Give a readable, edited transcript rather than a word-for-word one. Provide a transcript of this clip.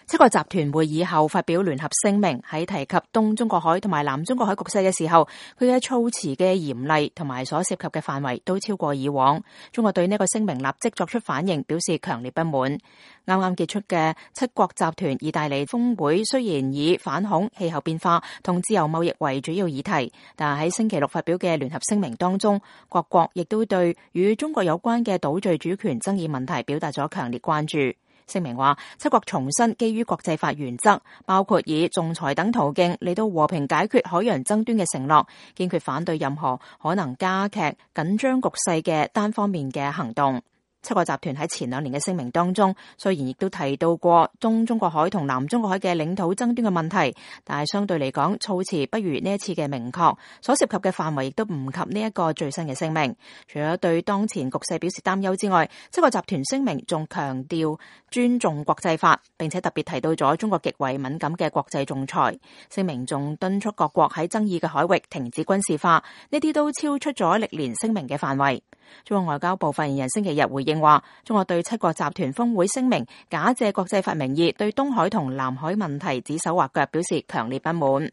七國集團會議後發表聯合聲明，喺提及東中國海同埋南中國海局勢嘅時候，佢嘅措辭嘅嚴厲同埋所涉及嘅範圍都超過以往。中國對呢個聲明立即作出反應，表示強烈不滿。啱啱結束嘅七國集團意大利峰會雖然以反恐、氣候變化同自由貿易為主要議題，但喺星期六發表嘅聯合聲明當中，各國亦都對與中國有關嘅島嶼主權爭議問題表達咗強烈關注。聲明話，七國重申基於國際法原則，包括以仲裁等途徑嚟到和平解決海洋爭端嘅承諾，堅決反對任何可能加劇緊張局勢嘅單方面嘅行動。七國集團喺前2年嘅聲明當中，雖然亦都提到過東中國海同南中國海嘅領土爭端嘅問題，但係相對嚟講，措辭不如呢一次嘅明確，所涉及嘅範圍亦都唔及呢一個最新嘅聲明。除咗對當前局勢表示擔憂之外，七國集團聲明仲強調尊重國際法，並且特別提到咗中國極為敏感嘅國際仲裁。聲明仲敦促各國喺爭議嘅海域停止軍事化，呢啲都超出咗歷年聲明嘅範圍。中國外交部發言人星期日回應話，中國對七國集團峰會聲明假借國際法名義對東海同南海問題指手畫腳表示強烈不滿。